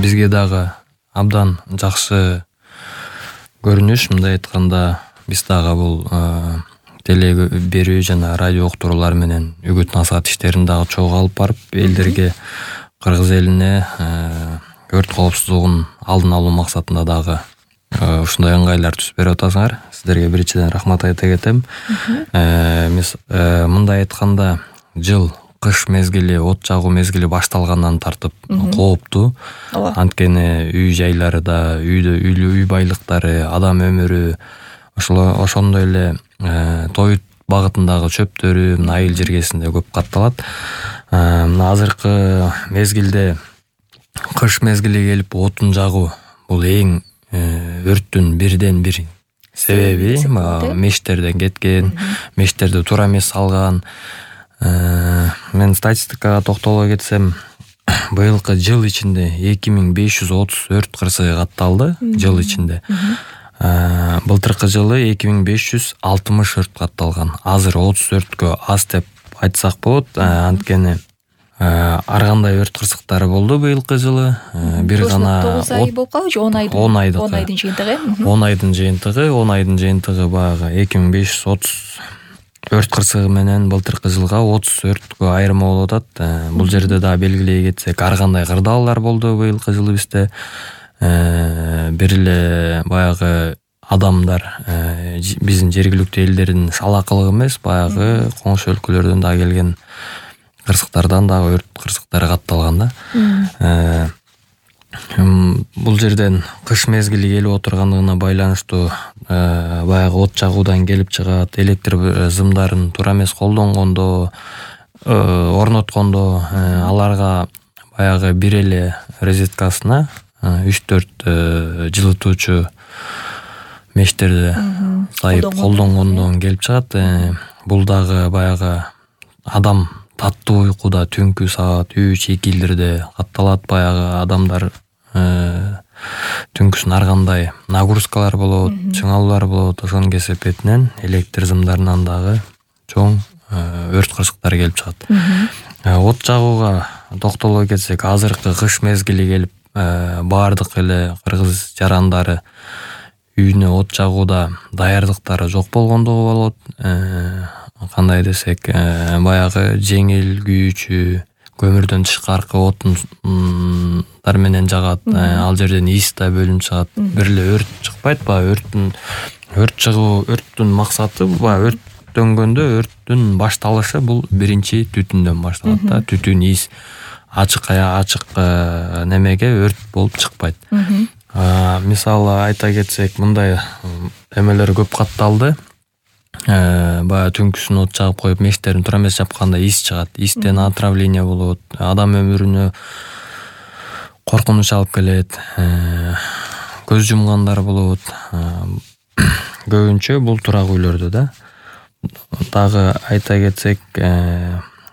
бизге дагы абдан жакшы көрүнүш. Мындай айтканда биз дагы бул теле берүү жана радио уктуруулар менен үгүт насаат иштерин дагы чогуу алып барып элдерге, кыргыз элине өрт коопсуздугун алдын алуу максатында дагы ушундай ыңгайлар түзүп берип атасыңар. Сиздерге биринчиден рахмат айта кетем. Мындай айтканда жыл кыш мезгили, от жагуу мезгили башталгандан тартып кооптуу. Анткени үй жайларда, үй байлыктары, адам өмүрү, ошондой эле той багытындагы чөптөрү айыл жергесинде көп катталат. Мына азыркы мезгилде кыш мезгили келип отун жагуу бул эң өрттүн бирден бир себеби. Мештерден кеткен, мештерди туура эмес салган. Мен статистикага токтоло кетсем, быйылкы жыл ичинде 2530 өрт кырсыгы катталды жыл ичинде. Былтыркы жылы 2560 өрт катталган. Азыр 30 өрткө аз деп айтсак болот. Анткени ар кандай өрт кырсыктары болду быйылкы жылы. Бир гана 9 ай болуп калбы же 10 айдын жыйынтыгы? 10 айдын жыйынтыгы баягы 2530 өрт кырсыгы менен былтыркы жылга 30 өрткө айырма болуп атат. Бул жерде дагы белгилей кетсек, ар кандай кырдаалдар болду быйылкы жылы бизде. Бир эле баягы адамдар, биздин жергиликтүү элдердин салакылыгы эмес, баягы коңшу өлкөлөрдөн дагы келген кырсыктардан дагы өрт кырсыктары катталган да. Бул жерден кыш мезгили келип отургандыгына байланыштуу баягы от жагуудан келип чыгат, электр зымдарын туура эмес колдонгондо, орноткондо аларга баягы бир эле розеткасына 3-4 жылытуучу мештерди сайып колдонгондон келип чыгат. Бул дагы баягы адам таттуу уйкуда түнкү саат 3-2 катталат. Баягы адамдар түнкүсүн ар кандай нагрузкалар болот, чыңалуулар болот. Ошонун кесепетинен электр зымдарынан дагы чоң өрт кырсыктары келип чыгат. От жагууга токтоло кетсек, азыркы кыш мезгили келип баардык эле кыргыз жарандары үйүнө от жагууда даярдыктары жок болгондугу болот. Кандай десек, баягы жеңил күйүүчү көмүрдөн тышкаркы отундар менен жагат. Ал жерден иис да бөлүнүп чыгат. Бир эле өрт чыкпайт. Өрттүн максаты өрттөнгөндө өрттүн башталышы бул биринчи түтүндөн башталат да. Түтүн, иис ачык немеге өрт болуп чыкпайт. Мисалы айта кетсек, мындай эмелер көп катталды. Баягы түнкүсүн от жагып коюп мештерин туура эмес жапканда иис чыгат. Иистен отравление болот. Адам өмүрүнө коркунуч алып келет. Көз жумгандар болот. Көбүнчө бул турак үйлөрдө да. Дагы айта кетсек,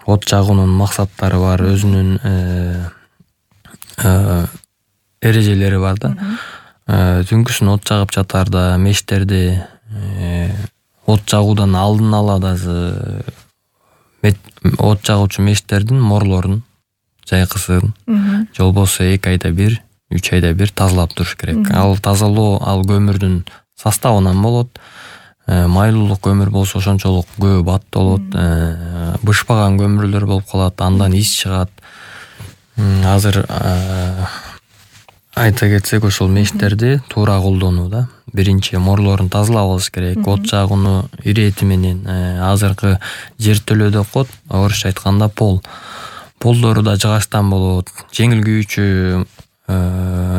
от жагуунун максаттары бар, өзүнүн эрежелери бар да. Түнкүсүн от жагып жатарда мештерди от жагуудан алдын ала дагы от жагуучу мештердин морлорун, жайкысын же болбосо 2 айда бир, 3 айда бир тазалап туруш керек. Ал тазалоо ал көмүрдүн составынан болот. Майлуулук көмүр болсо ошончолук көп аттолот. Бышпаган көмүрлөр болуп калат, андан иис чыгат. Азыр айта кетсек, ошол мештерди туура колдонуу да. Биринчи морлорун тазалап алыш керек. От жагууну ирети менен азыркы жертөлөдө кот, орусча айтканда полдору да жыгачтан болот. Жеңил күйүүчү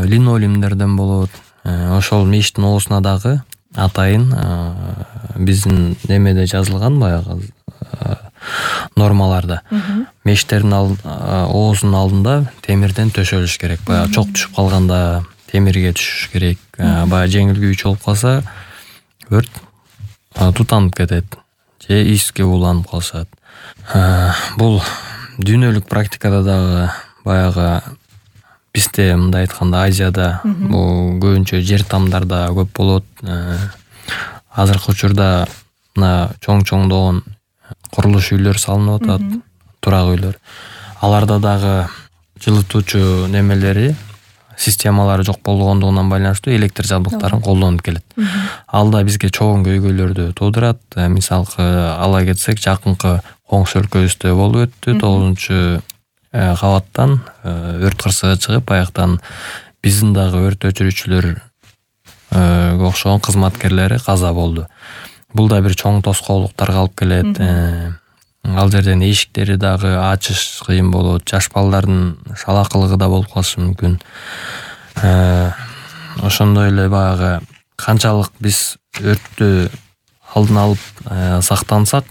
линолеумдерден болот. Ошол мештин оосуна дагы атайын биздин немеде жазылган баягы нормаларда. Мештердин оозунун алдында темирден төшөлүш керек. Баягы чок түшүп калганда темирге түшүш керек. Баягы жеңил күйүүчү болуп калса өрт тутанып кетет же ииске уланып калышат. Бул дүйнөлүк практикада дагы баягы бизде мындай айтканда Азияда бул көбүнчө жер тамдарда көп болот. Азыркы учурда мына чоң-чоңдогон курулуш үйлөр салынып атат, турак үйлөр. Аларда дагы жылытуучу немелери, системалары жок болгондугунан байланыштуу электр жабдыктарын колдонуп келет. Ал да бизге чоң көйгөйлөрдү туудурат. Мисалга ала кетсек, жакынкы коңшу өлкөбүздө болуп өттү. 9-кабаттан өрт кырсыгы чыгып, аяктан биздин дагы өрт өчүрүүчүлөр окшогон кызматкерлери каза болду. Бул да бир чоң тоскоолдуктарга алып келет. Ал жерден эшиктери дагы ачыш кыйын болот. Жаш балдардын шалакылыгы да болуп калышы мүмкүн. Ошондой эле баягы канчалык биз өрттү алдын алып сактансак,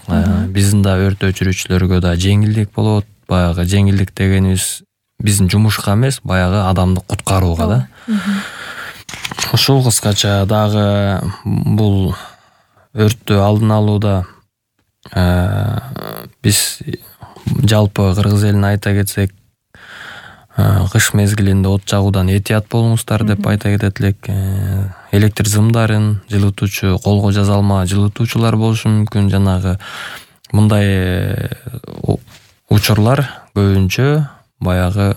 биздин да өрт өчүрүүчүлөргө да жеңилдик болот. Баягы жеңилдик дегенибиз биздин жумушка эмес, баягы адамды куткарууга да. Ушул кыскача дагы бул өрттү алдын алууда биз жалпы кыргыз элине айта кетсек, кыш мезгилинде от жагуудан этият болуңуздар деп айта кетет элек. Электр сымдарын жылытуучу, колго жаза алма жылытуучулар болушу мүмкүн. Жанагы мындай учурлар көбүнчө баягы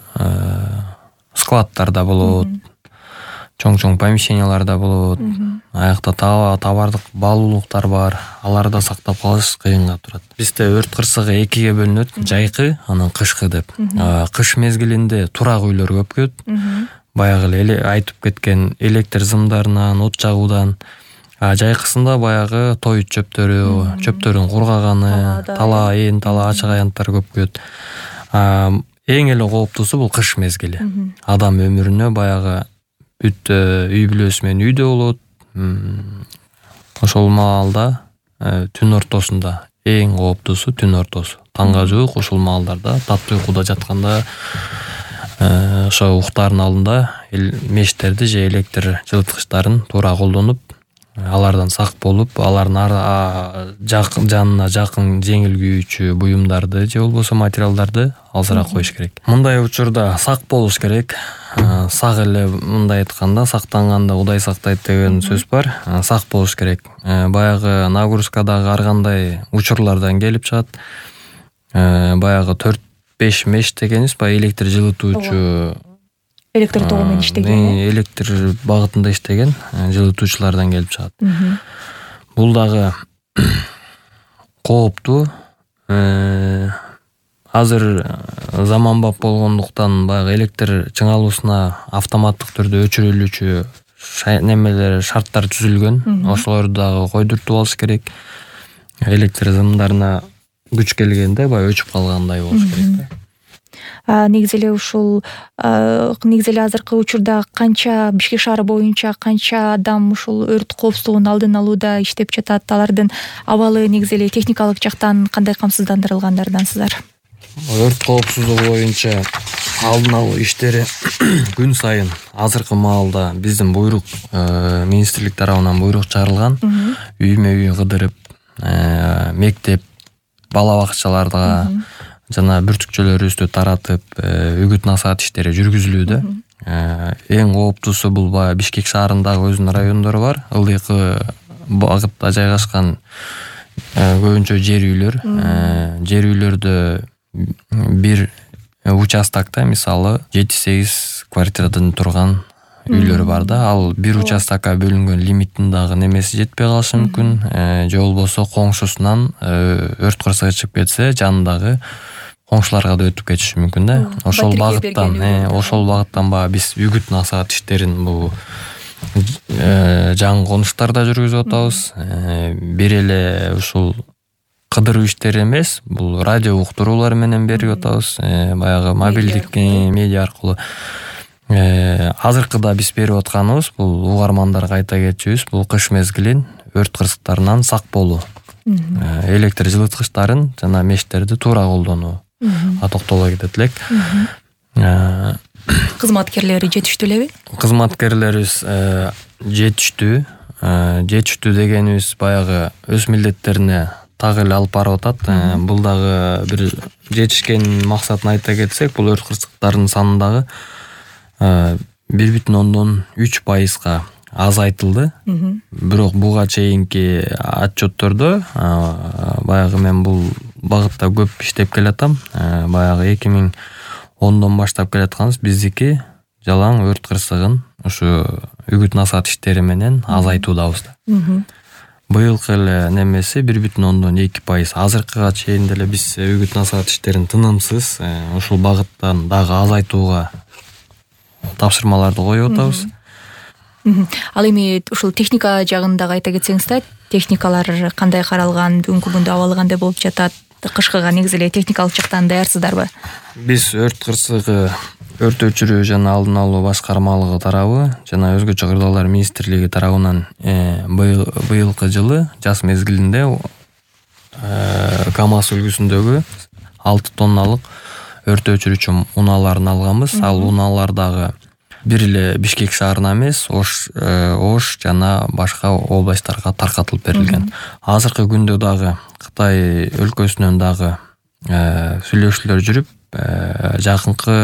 складтарда болот, чоң помещенияларда болот. Аякта товардык баалуулуктар бар, аларды сактап калыш кыйынга турат. Бизде өрт кырсыгы экиге бөлүнөт: жайкы, анан кышкы деп. Кыш мезгилинде турак үйлөр көп көт. Баягы эле айтып кеткен электр сымдарынан, от жагуудан. Жайкысында баягы той чөптөрүн кургаганы, тала ачык аянттар көп көт. Эң эле кооптуусу бул кыш мезгили. Адам өмүрүнө баягы бүт үй бүлөсү менен үйдө болот. Ошол маалда түн ортосунда эң кооптуусу түн ортосу. Таңга жуук ушул маалдарда таттуу уйкуда жатканда ошо уктаардын алдында мештерди же электр жылыткычтарын туура колдонуп, алардан сак болуп, алардын жанына жакын жеңил күйүүчү буюмдарды же болбосо материалдарды алсыраак коюш керек. Мындай учурда сак болуш керек. Сак эле, мындай айтканда, сактанганда Кудай сактайт деген сөз бар. Сак болуш керек. Баягы нагрузкадагы ар кандай учурлардан келип чыгат. Баягы 4-5 меш дегенибиз, баягы электр жылытуучу, электр тогу менен иштеген, электр багытында иштеген жылытуучулардан келип чыгат. Бул дагы кооптуу. Азыр заманбап болгондуктан баягы электр чыңалуусуна автоматтык түрдө өчүрүлүүчү немелер, шарттар түзүлгөн. Ошолорду дагы койдуртуп алыш керек. Электр сымдарына күч келгенде баягы өчүп калгандай болуш керек. Негизи эле ушул азыркы учурда канча Бишкек шаары боюнча канча адам ушул өрт коопсуздугун алдын алууда иштеп жатат? Алардын абалы негизи эле техникалык жактан кандай камсыздандырылгандардансыздар? Өрт коопсуздугу боюнча алдын алуу иштери күн сайын азыркы маалда биздин буйрук, министрлик тарабынан буйрук чыгарылган. Үймө үй кыдырып, мектеп, бала бакчаларга жана бүртүкчөлөрүбүздү таратып, үгүт насаат иштери жүргүзүлүүдө. Эң кооптуусу бул баягы Бишкек шаарындагы өзүнүн райондору бар. Ылдыйкы багытта жайгашкан көбүнчө жер үйлөр. Жер үйлөрдө бир участокто мисалы 7-8 квартирадан турган үйлөр бар да. Ал бир участокко бөлүнгөн лимиттин дагы немеси жетпей калышы мүмкүн. Же болбосо коңшусунан өрт кырсыгы чыгып кетсе, жанындагы коңшуларга да өтүп кетиши мүмкүн да. Ошол багыттан баягы биз үгүт насаат иштерин бул жаңы конуштарда жүргүзүп атабыз. Бир эле ушул кыдыруу иштери эмес, бул радио уктуруулар менен берип атабыз. Баягы мобилдик медиа аркылуу. Азыркыда биз берип атканыбыз бул угармандарга айта кетчүбүз, бул кыш мезгилин өрт кырсыктарынан сак болуу. Электр жылыткычтарын жана мештерди туура колдонуу токтоло кетет элек. Кызматкерлери жетиштүү элеби? Кызматкерлерибиз жетиштүү. Жетиштүү дегенибиз баягы өз милдеттерине так эле алып барып атат. Бул дагы бир жетишкен максатын айта кетсек, бул өрт кырсыктарынын саны дагы 1,3% азайтылды. Бирок буга чейинки отчеттордо баягы мен бул багытта көп иштеп келатам. Баягы 2010дон баштап келатканбыз. Биздики жалаң өрт кырсыгын ушу үгүт насаат иштери менен азайтуудабыз да. Быйылкы эле немеси 1,2%. Азыркыга чейин деле биз үгүт насаат иштерин тынымсыз ушул багыттан дагы азайтууга тапшырмаларды коюп атабыз. Ал эми ушул техника жагын дагы айта кетсеңиз да, техникалар кандай каралган, бүгүнкү күндө абалы кандай болуп жатат? Кышкыга негизи эле техникалык жактан даярсыздарбы? Биз өрт кырсыгы өрт өчүрүү жана алдын алуу башкармалыгы тарабы жана өзгөчө кырдаалдар министрлиги тарабынан быйылкы жылы жаз мезгилинде КАМАЗ үлгүсүндөгү 6 тонналык өрт өчүрүүчү унааларын алганбыз. Ал унаалар дагы бир эле Бишкек шаарына эмес, Ош жана башка областтарга таркатылып берилген. Азыркы күндө дагы Кытай өлкөсүнөн дагы сүйлөшүүлөр жүрүп, жакынкы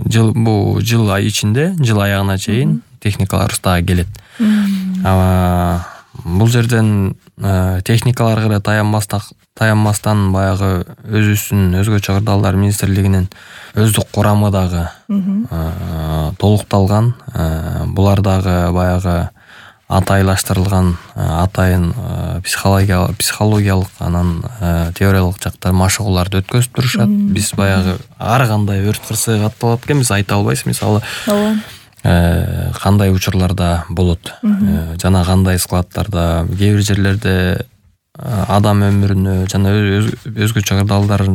жыл ай ичинде, жыл аягына чейин техникаларыбыз дагы келет. Бул жерден техникаларга эле таянмастан баягы өзүбүздүн өзгөчө кырдаалдар министрлигинин өздүк курамы дагы толукталган. Булар дагы баягы атайлаштырылган, атайын психологиялык анан теориялык жактар машыгууларды өткөзүп турушат. Биз баягы ар кандай өрт кырсыгы катталат экен, биз айта албайбыз. Мисалы, кандай учурларда болот жана кандай складтарда, кээ бир жерлерде адам өмүрүнө жана өзгөчө кырдаалдар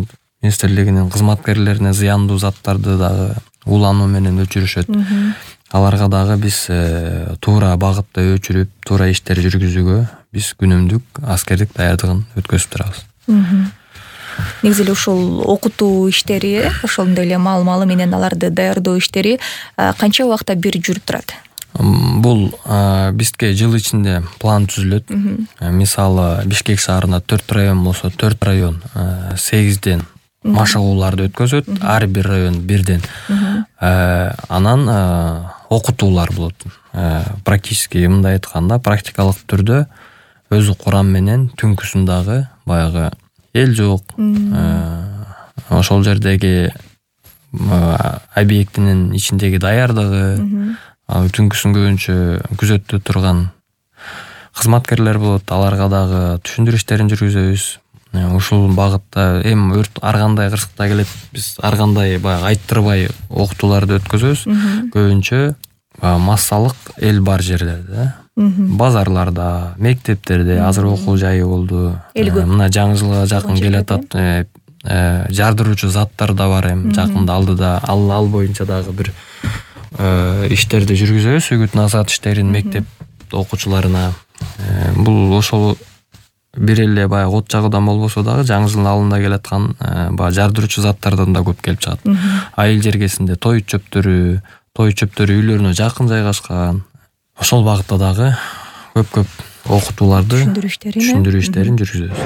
министрлигинин кызматкерлерине зыяндуу заттарды дагы улануу менен өчүрүшөт. Аларга дагы биз туура багытта өчүрүп, туура иштер жүргүзүүгө биз күнүмдүк аскердик даярдыгын өткөзүп турабыз. Негизи эле ушул окутуу иштери, ошондой эле маал менен аларды даярдоо иштери канча убакта бир жүрүп турат? Бул бизге жыл ичинде план түзүлөт. Мисалы, Бишкек шаарында 4 район болсо, 4 район 8ден машыгууларды өткөзөт, ар бир район бирден. Анан окутуулар болот. Практически мындай айтканда, практикалык түрдө өзү курам менен түнкүсүн дагы баягы эл жок, ошол жердеги объектинин ичиндеги даярдыгы, түнкүсүн көбүнчө күзөттө турган кызматкерлер болот, аларга дагы түшүндүрүү иштерин жүргүзөбүз. Ушул багытта эми өрт ар кандай кырсыкта келет, биз ар кандай баягы айттырбай окутууларды өткөзөбүз. Көбүнчө массалык эл бар жерлерде, базарларда, мектептерде, азыр окуу жайы болду. Мына жаңы жылга жакын келатат, жардыруучу заттар да бар эми жакында алдыда. Ал боюнча дагы бир иштерди жүргүзөбүз, үгүт насаат иштерин мектеп окуучуларына. Бул ошол бир эле баягы от жагуудан болбосо дагы жаңы жылдын алдында келаткан баягы жардыруучу заттардан да көп келип чыгат. Айыл жергесинде той чөптөрү үйлөрүнө жакын жайгашкан. Ошол багытта дагы көп окутууларды, түшүндүрүү иштерин жүргүзөбүз.